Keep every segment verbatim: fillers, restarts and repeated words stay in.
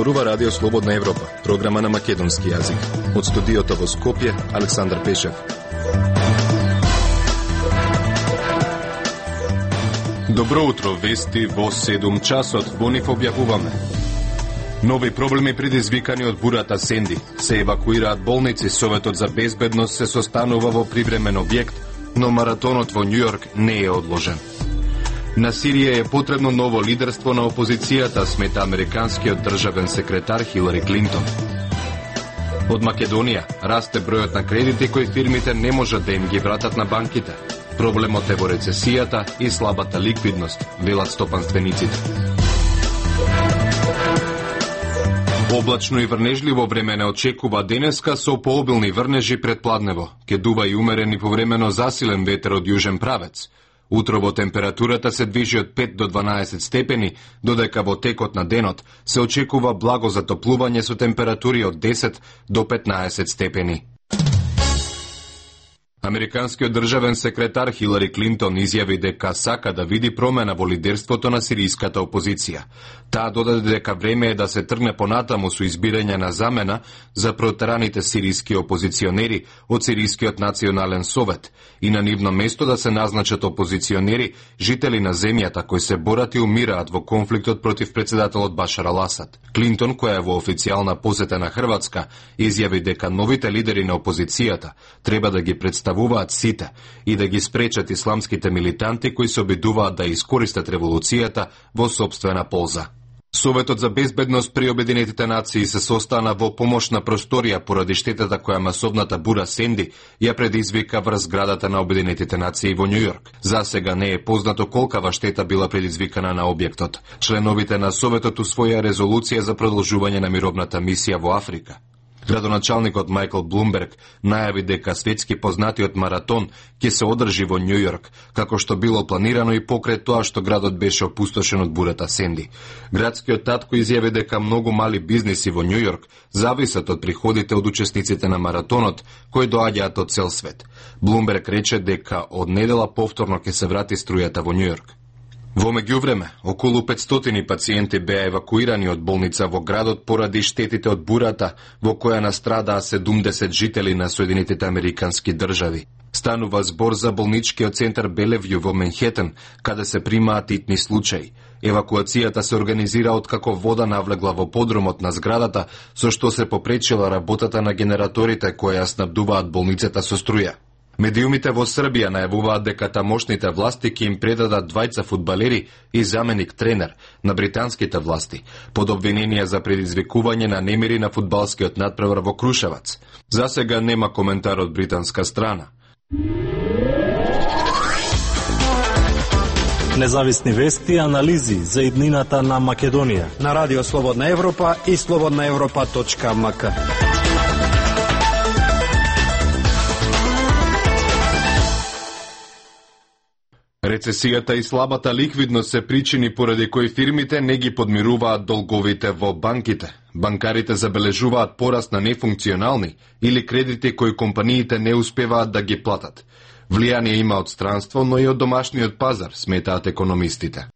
Зборува Радио Слободна Европа, програма на македонски јазик. Од студиото во Скопје, Александар Пешев. Добро утро, вести во седум часот. Во нив објавуваме. Нови проблеми предизвикани од бурата Сенди. Се евакуираат болници, Советот за безбедност се состанува во привремен објект, но маратонот во Њујорк не е одложен. На Сирија е потребно ново лидерство на опозицијата, смета американскиот државен секретар Хилари Клинтон. Од Македонија расте бројот на кредити кои фирмите не можат да им ги вратат на банките. Проблемот е во рецесијата и слабата ликвидност, велат стопанствениците. Облачно и врнежливо време не очекува денеска со пообилни врнежи пред пладнево. Ке дува и умерен и повремено засилен ветер од јужен правец. Утрово температурата се движи од пет до дванаесет степени, додека во текот на денот се очекува благо затоплување со температури од десет до петнаесет степени. Американскиот државен секретар Хилари Клинтон изјави дека сака да види промена во лидерството на сириската опозиција. Таа додаде дека време е да се тргне понатаму со избирање на замена за протераните сириски опозиционери од Сирискиот национален совет и на нивно место да се назначат опозиционери, жители на земјата кои се борат и умираат во конфликтот против председателот Башар ал-Асад. Клинтон, која е во официјална посета на Хрватска, изјави дека новите лидери на опозицијата треба да ги представуваат сите и да ги спречат исламските милитанти кои се обидуваат да искористат револуцијата во сопствена полза. Советот за безбедност при Обединетите нации се состана во помошна просторија поради штетата која масовната бура Сенди ја предизвика врз зградата на Обединетите нации во Њујорк. За сега не е познато колкава штета била предизвикана на објектот. Членовите на Советот усвоја резолуција за продолжување на мировната мисија во Африка. Градоначалникот Майкл Блумберг најави дека светски познатиот маратон ќе се одржи во Њујорк, како што било планирано и покрај тоа што градот беше опустошен од бурата Сенди. Градскиот татко изјави дека многу мали бизниси во Њујорк зависат од приходите од учесниците на маратонот, кои доаѓаат од цел свет. Блумберг рече дека од недела повторно ќе се врати струјата во Њујорк. Во меѓувреме, околу петстотини пациенти беа евакуирани од болница во градот поради штетите од бурата, во која настрадаа седумдесет жители на Соединетите американски држави. Станува збор за болничкиот центар Белевју во Менхетен, каде се примаат итни случаи. Евакуацијата се организира откако вода навлегла во подрумот на зградата, со што се попречила работата на генераторите кои ја снабдуваат болницата со струја. Медиумите во Србија најавуваат дека тамошните власти ќе им предадат двајца фудбалери и заменик тренер на британските власти, под обвинение за предизвикување на немири на фудбалскиот натпревар во Крушевац. За сега нема коментар од британска страна. Независни вести и анализи за иднината на Македонија на Радио Слободна Европа и слободна европа точка ем ка. Рецесијата и слабата ликвидност се причини поради кои фирмите не ги подмируваат долговите во банките. Банкарите забележуваат пораст на нефункционални или кредити кои компаниите не успеваат да ги платат. Влијание има од странство, но и од домашниот пазар, сметаат економистите.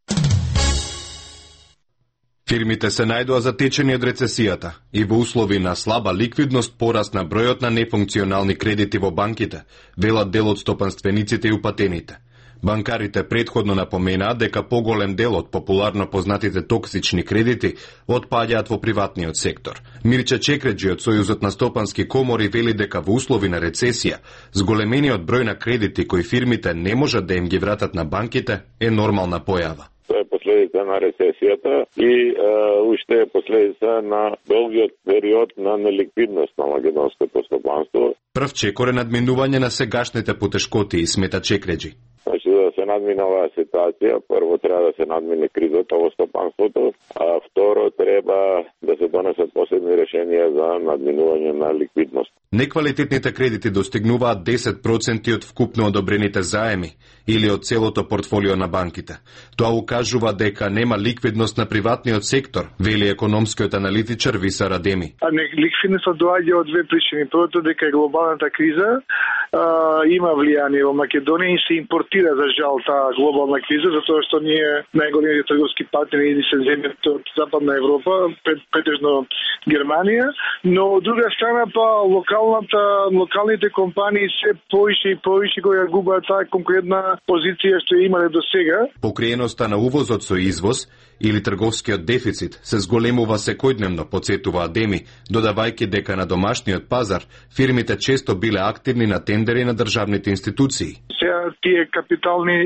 Фирмите се најдоа затечени од рецесијата и во услови на слаба ликвидност пораст на бројот на нефункционални кредити во банките, велат дел од стопанствениците и упатените. Банкарите предходно напоменаат дека поголем дел од популарно познатите токсични кредити отпаѓаат во приватниот сектор. Мирча Чекреджи од Сојузот на стопански комори вели дека во услови на рецесија, зголемениот број на кредити кои фирмите не можат да им ги вратат на банките е нормална појава. Тоа е последица на рецесијата и е, уште е последица на долгиот период на неликвидност на македонското стопанство. Прв чекор е надминување на сегашните потешкоти, смета Чекреджи. Значи, да се надмине оваа ситуација, прво треба да се надмине кризата во стопанството, а второ треба да се донесат посебни решенија за надминување на ликвидност. Неквалитетните кредити достигнуваат десет проценти од вкупно одобрените заеми или од целото портфолио на банките. Тоа укажува дека нема ликвидност на приватниот сектор, вели економскиот аналитичар Виса Радеми. А ликвидноста доаѓа од две причини. Првото дека е глобалната криза има влијание во Македонија и се импортира за жал таа глобална криза, затоа што ние најголемите трговски партнери се земјата од Западна Европа, претежно Германија, но од друга страна па локалната локалните компании се поише и поише кои губат таа конкурентна позиција што имале до сега. Покриеноста на увозот со извоз или трговскиот дефицит се зголемува секојдневно, подсетува Адеми, додавајќи дека на домашниот пазар фирмите често биле активни на тендери на државните институции. Сега тие капитални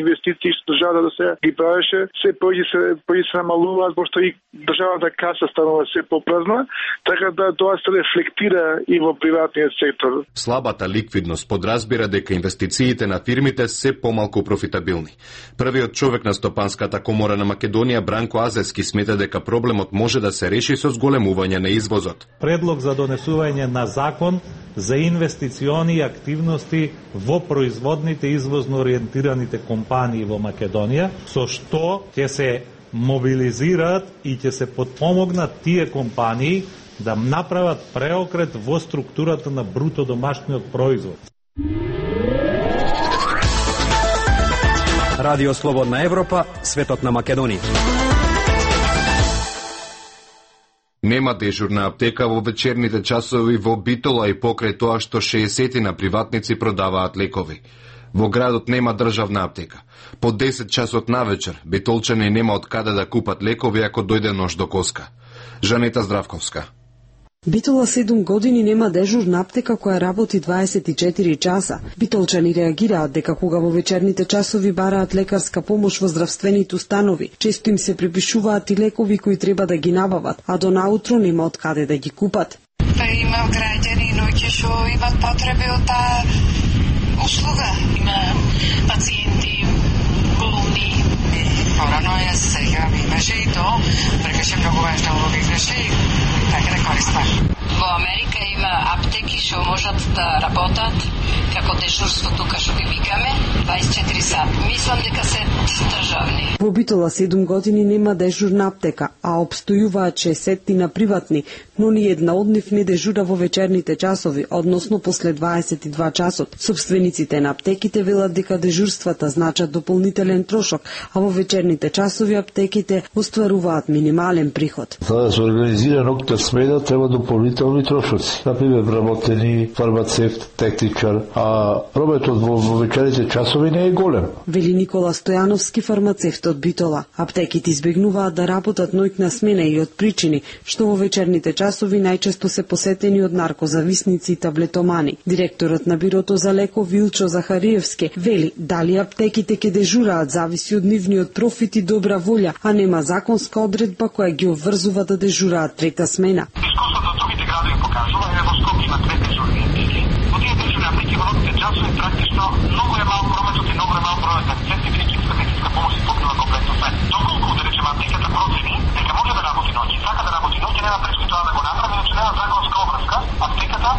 инвестиции што државата да се ги правеше, се поише се поише се намалуваат, пошто и државната каса станува се попразна, така да тоа се рефлектира и во приватниот сектор. Слабата ликвидност подразбира дека инвестициите на фирмите се помалку профитабилни. Првиот човек на Стопанската комора на Македонија, Бранко Азески, смета дека проблемот може да се реши со зголемување на извозот. Предлог за донесување на закон за инвестициони активности во производните извозно ориентираните компании во Македонија, со што ќе се мобилизираат и ќе се подпомогнат тие компании да направат преокрет во структурата на бруто домашниот производ. Радио Слободна Европа, светот на Македонија. Нема дежурна аптека во вечерните часови во Битола и покрај тоа што шеесет на приватници продаваат лекови. Во градот нема државна аптека. По десет часот навечер битолчани нема од каде да купат лекови ако дојде нож до коска. Жанета Здравковска. Битола седум години нема дежурна аптека која работи дваесет и четири часа. Битолчани реагираат дека кога во вечерните часови бараат лекарска помош во здравствените установи, често им се препишуваат и лекови кои треба да ги набават, а до наутро нема од каде да ги купат. Па има граѓани ноќе што имат потреби од таа услуга. Има пациенти, болни. Порано е сега, имаше и то, прекаше многу важно улоги греши, така да користам. Во Америка има аптеки што можат да работат како дежурство тука што ги викаме дваесет и четири сати. Мислам дека се државни. Во Битола седум години нема дежурна аптека, а обстојуваат шеесет на приватни, но ни една од нив не дежура во вечерните часови, односно после дваесет и два часот. Собствениците на аптеките велат дека дежурствата значат дополнителен трошок, а во вечерните часови аптеките остваруваат минимален приход. За да се организира ноќна смена треба дополнителни трошоци. Например, вработени, фармацевт, техничар, а прометот во вечерните часови не е голем. Вели Никола Стојановски, фармацевт од Битола. Аптеките избегнуваат да работат ноќна смена и од причини што во вечерните часови најчесто се посетени од наркозависници и таблетомани. Директорот на бирото за лекови Илчо Захариевски вели дали аптеките ќе дежураат зависи од нивниот профит и добра волја, а нема законска одредба која ги обврзува да дежураат трета смена. Искуството од другите градови покажува, е во Скопје има две дежурни аптеки. Во тие дежурни аптеки во ноќните часови практично многу е мал прометот и многу е мал бројот на пациенти, медицинска медицинска помош и покрива комплетно све. Доколку да речеме аптеката процени дека може да работи ноќ, сака да работи ноќ, нема пречки тоа да го направи, иначе нема законска обврска аптеката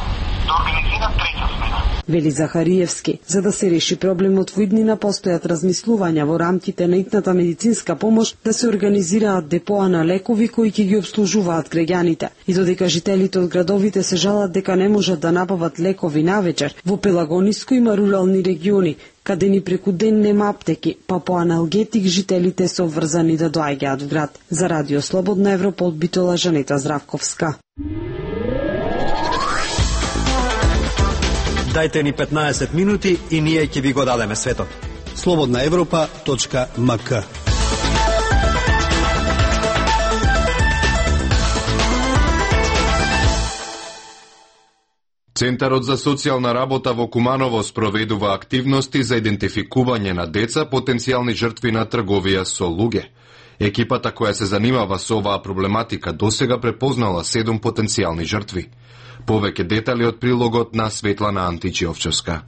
да организира трета смена. Вели Захариевски, за да се реши проблемот во иднина постојат размислувања во рамките на итната медицинска помош да се организираат депоа на лекови кои ќе ги обслужуваат граѓаните. И додека жителите од градовите се жалат дека не можат да набават лекови навечер, во Пелагониско има рурални региони каде ни преку ден нема аптеки, па по аналгетик жителите се обврзани да доаѓаат в град. За Радио Слободна Европа од Битола, Жанета Здравковска. Дајте ни петнаесет минути и ние ќе ви го дадеме светот. слободна европа точка ем ка. Центарот за социјална работа во Куманово спроведува активности за идентификување на деца потенцијални жртви на трговија со луѓе. Екипата која се занимава со оваа проблематика досега препознала седум потенцијални жртви. Повеќе детали од прилогот на Светлана Античиовчевска.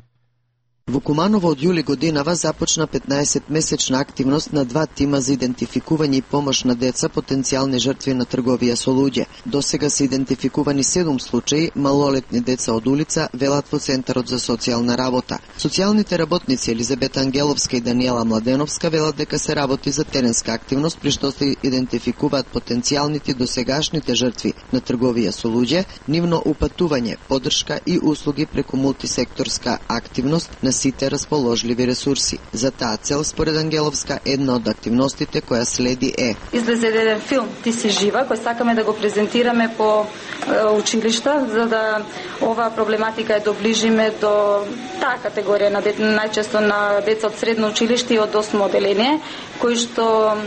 Во Куманово од јули годинава започна петнаесетмесечна активност на два тима за идентификување и помош на деца потенцијални жртви на трговија со луѓе. Досега се идентификувани седум случаи малолетни деца од улица, велат во Центарот за социјална работа. Социјалните работници Елизабета Ангеловска и Даниела Младеновска велат дека се работи за теренска активност при што се идентификуваат потенцијалните досегашните жртви на трговија со луѓе, нивно упатување, поддршка и услуги преку мултисекторска активност на сите расположливи ресурси. За таа цел, според Ангеловска, една од активностите која следи е: излезе еден филм "Ти си жива", кој сакаме да го презентираме по е, училишта, за да оваа проблематика ја доближиме до таа категорија на дете, најчесто на деца од средно училиште и од осмо оделение, кои што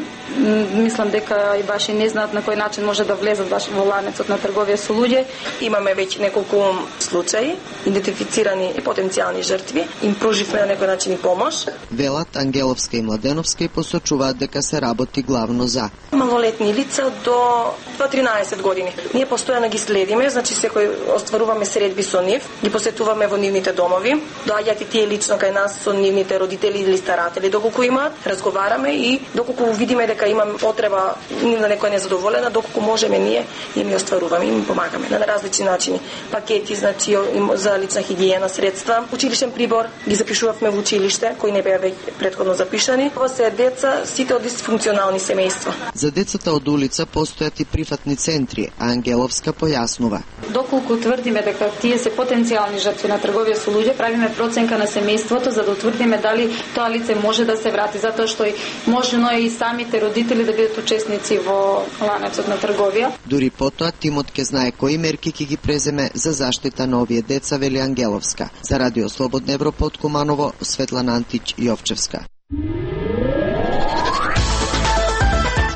мислам дека и баш и не знаат на кој начин може да влезат баш во ланецот на трговија со луѓе. Имаме веќе неколку случаи, идентифицирани и потенцијални жртви, им пруживме на некој начин и помош. Велат Ангеловска и Младеновска и посочуваат дека се работи главно за малолетни лица до тринаесет години. Ние постојано ги следиме, значи секој остваруваме средби со нив, ги посетуваме во нивните домови, доаѓаат и тие лично кај нас со нивните родители или старатели, доколку имаат, разговараме и доколку видиме дека имам потреба на некој незадоволена, доколку можеме ние им ја остваруваме, им помагаме на различни начини. Пакети, значи за лична хигиена, средства, училишен прибор, ги запишувавме во училиште, кои не беа веќе претходно запишани. Ова се деца сите од дисфункционални семејства. За децата од улица постојат и прифатни центри, а Ангеловска појаснува: доколку тврдиме дека тие се потенцијални жртви на трговија со луѓе, правиме проценка на семејството за да утврдиме дали тоа лице може да се врати, затоа што и можено е и самите родители да бидат учесници во ланецот на трговија. Дури потоа тимот ќе знае кои мерки ќе ги преземе за заштита на овие деца, вели Ангеловска. За Радио Слободна Европа од Куманово, Светлана Антич Јовчевска.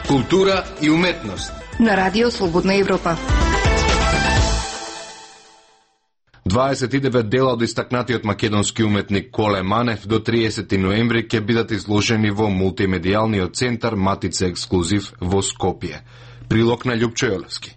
Култура и уметност на Радио Слободна Европа. дваесет и девет дела од истакнатиот македонски уметник Коле Манев до триесети ноември ќе бидат изложени во мултимедијалниот центар Матица Ексклузив во Скопје. Прилог на Љупчо Јолевски.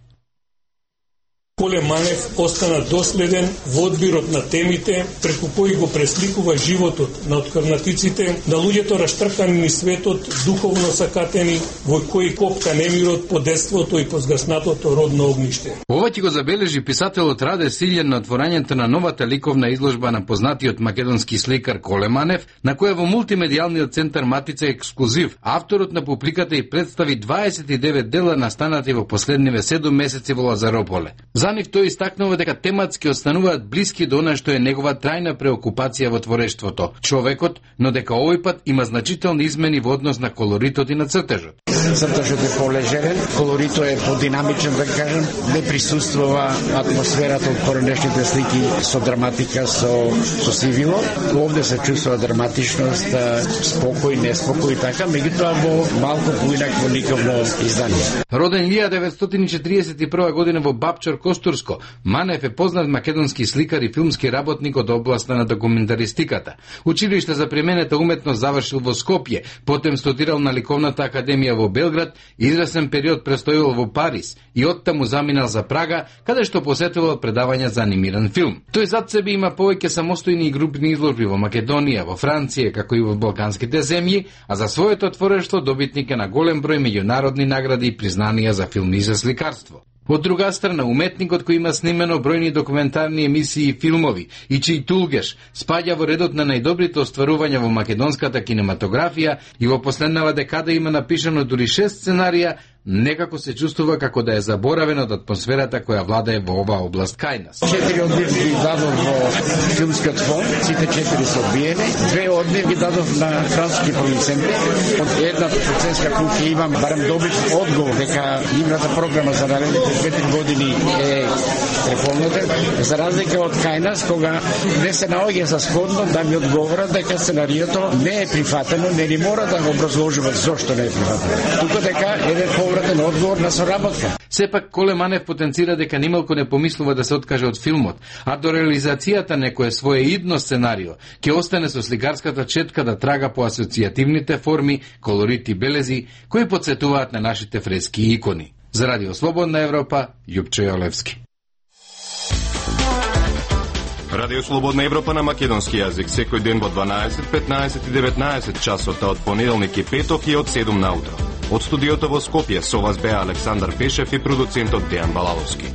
Коле Манев остана доследен во одбирот на темите преку кои го пресликува животот на открнатиците, на луѓето раштркани низ светот, духовно сакатени, во кои копка немирот по детството и по згаснатото родно огниште. Ова ќе го забележи писателот Раде Силјан на отворањето на новата ликовна изложба на познатиот македонски сликар Коле Манев, на која во мултимедијалниот центар Матица Ексклузив авторот на публиката и представи дваесет и девет дела настанати во последниве седум месеци во Лазарополе. За нив тој истакнува дека тематски остануваат блиски до она што е негова трајна преокупација во творештвото, човекот, но дека овој пат има значителни измени во однос на колоритот и на цртежот. Цртежот е полежерен, колоритот е подинамичен, да кажем, не присуствува атмосферата од поранешните слики со драматика, со, со сивило. Овде се чувствува драматичност, спокој, неспокој, така, меѓутоа во малку поинакво ликовно издание. Роден илјада деветстотини четиридесет и прва година во Бапчар, Костурско, Манев е познат македонски сликар и филмски работник од областа на документаристиката. Училиште за применета уметност завршил во Скопје, потем студирал на Ликовната академија во Белград, известен период престојувал во Париз и оттаму заминал за Прага, каде што посетувал предавања за анимиран филм. Тој зад себе има повеќе самостојни и групни изложби во Македонија, во Франција, како и во балканските земји, а за своето творештво добитник е на голем број меѓународни награди и признанија за филми и за сликарство. Од друга страна, уметникот кој има снимено бројни документарни емисии и филмови и чиј тулгеш спаѓа во редот на најдобрите остварувања во македонската кинематографија и во последнава декада има напишано дури шест сценарија, некако се чувствува како да е заборавен од атмосферата која владае во оваа област кај нас. Четири од нив ги дадов во филмскиот фонд, сите четири се одбиени. Две од нив ги дадов на француски продуценти. Од една продуцентска куќа имам барем добив одговор дека нивната програма за наредните две-три години е преполнета, за разлика од кај нас, кога не се наоѓа за сходно да ми одговорат дека сценариото не е прифатено, не ни мора да го образложуваат зошто не е прифатено. Тука дека еден повратен одговор на соработка. Сепак Коле Манев потенцира дека nimалку не помислува да се откаже од филмот, а до реализацијата некое свое идно сценарио ќе остане со сликарската четка да трага по асоцијативните форми, колорити, белези кои потсетуваат на нашите фрески и икони. За Радио Слободна Европа, Љупчо Јолевски. Радио Слободна Европа на македонски јазик секој ден во дванаесет, петнаесет и деветнаесет часот од понеделник и петок и од седум наутро. Од студиото во Скопје со вас беа Александар Пешев и продуцентот Дејан Балаловски.